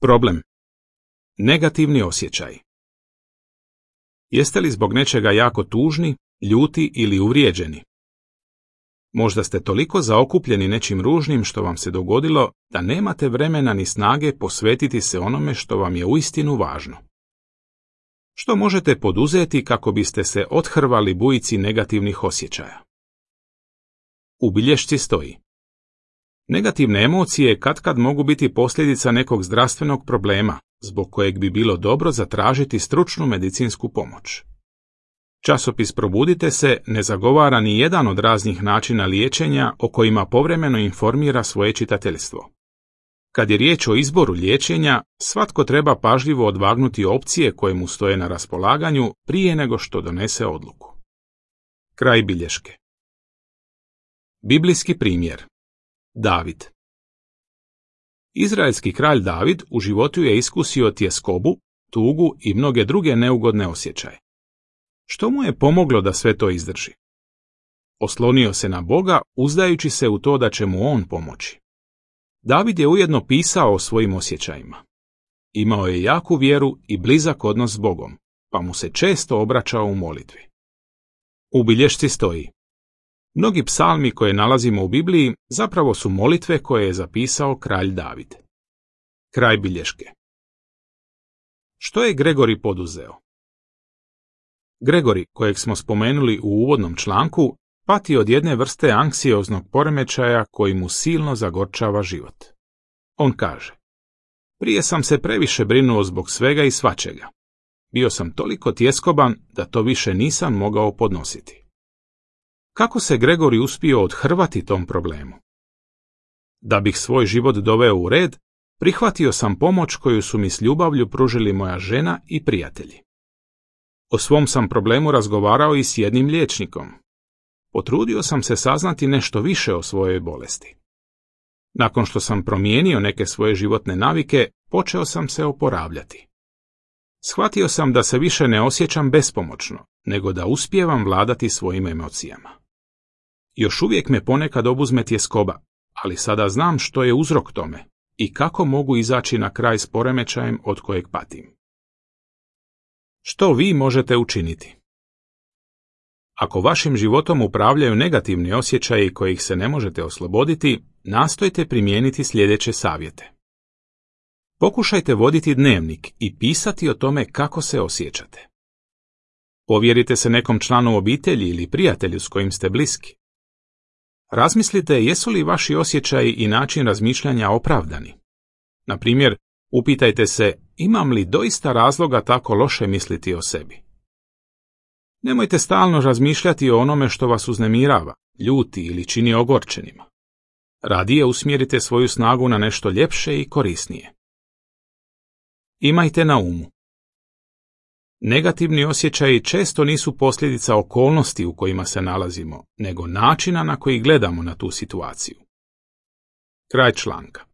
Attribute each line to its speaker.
Speaker 1: Problem. Negativni osjećaj. Jeste li zbog nečega jako tužni, ljuti ili uvrijeđeni? Možda ste toliko zaokupljeni nečim ružnim što vam se dogodilo da nemate vremena ni snage posvetiti se onome što vam je uistinu važno. Što možete poduzeti kako biste se othrvali bujici negativnih osjećaja? U bilješci stoji: negativne emocije katkad mogu biti posljedica nekog zdravstvenog problema, zbog kojeg bi bilo dobro zatražiti stručnu medicinsku pomoć. Časopis Probudite se ne zagovara ni jedan od raznih načina liječenja o kojima povremeno informira svoje čitateljstvo. Kad je riječ o izboru liječenja, svatko treba pažljivo odvagnuti opcije koje mu stoje na raspolaganju prije nego što donese odluku. Kraj bilješke. Biblijski primjer. David. Izraelski kralj David u životu je iskusio tjeskobu, tugu i mnoge druge neugodne osjećaje. Što mu je pomoglo da sve to izdrži? Oslonio se na Boga, uzdajući se u to da će mu on pomoći. David je ujedno pisao o svojim osjećajima. Imao je jaku vjeru i blizak odnos s Bogom, pa mu se često obraćao u molitvi. U bilješci stoji: mnogi psalmi koje nalazimo u Bibliji zapravo su molitve koje je zapisao kralj David. Kraj bilješke. Što je Gregori poduzeo? Gregori, kojeg smo spomenuli u uvodnom članku, pati od jedne vrste anksioznog poremećaja koji mu silno zagorčava život. On kaže: prije sam se previše brinuo zbog svega i svačega. Bio sam toliko tjeskoban da to više nisam mogao podnositi. Kako se Gregori uspio othrvati tom problemu? Da bih svoj život doveo u red, prihvatio sam pomoć koju su mi s ljubavlju pružili moja žena i prijatelji. O svom sam problemu razgovarao i s jednim liječnikom. Potrudio sam se saznati nešto više o svojoj bolesti. Nakon što sam promijenio neke svoje životne navike, počeo sam se oporavljati. Shvatio sam da se više ne osjećam bespomoćno, nego da uspijevam vladati svojim emocijama. Još uvijek me ponekad obuzme tjeskoba, ali sada znam što je uzrok tome i kako mogu izaći na kraj s poremećajem od kojeg patim. Što vi možete učiniti? Ako vašim životom upravljaju negativni osjećaji kojih se ne možete osloboditi, nastojte primijeniti sljedeće savjete. Pokušajte voditi dnevnik i pisati o tome kako se osjećate. Povjerite se nekom članu obitelji ili prijatelju s kojim ste bliski. Razmislite jesu li vaši osjećaji i način razmišljanja opravdani. Na primjer, upitajte se imam li doista razloga tako loše misliti o sebi. Nemojte stalno razmišljati o onome što vas uznemirava, ljuti ili čini ogorčenima. Radije usmjerite svoju snagu na nešto ljepše i korisnije. Imajte na umu: negativni osjećaji često nisu posljedica okolnosti u kojima se nalazimo, nego načina na koji gledamo na tu situaciju. Kraj članka.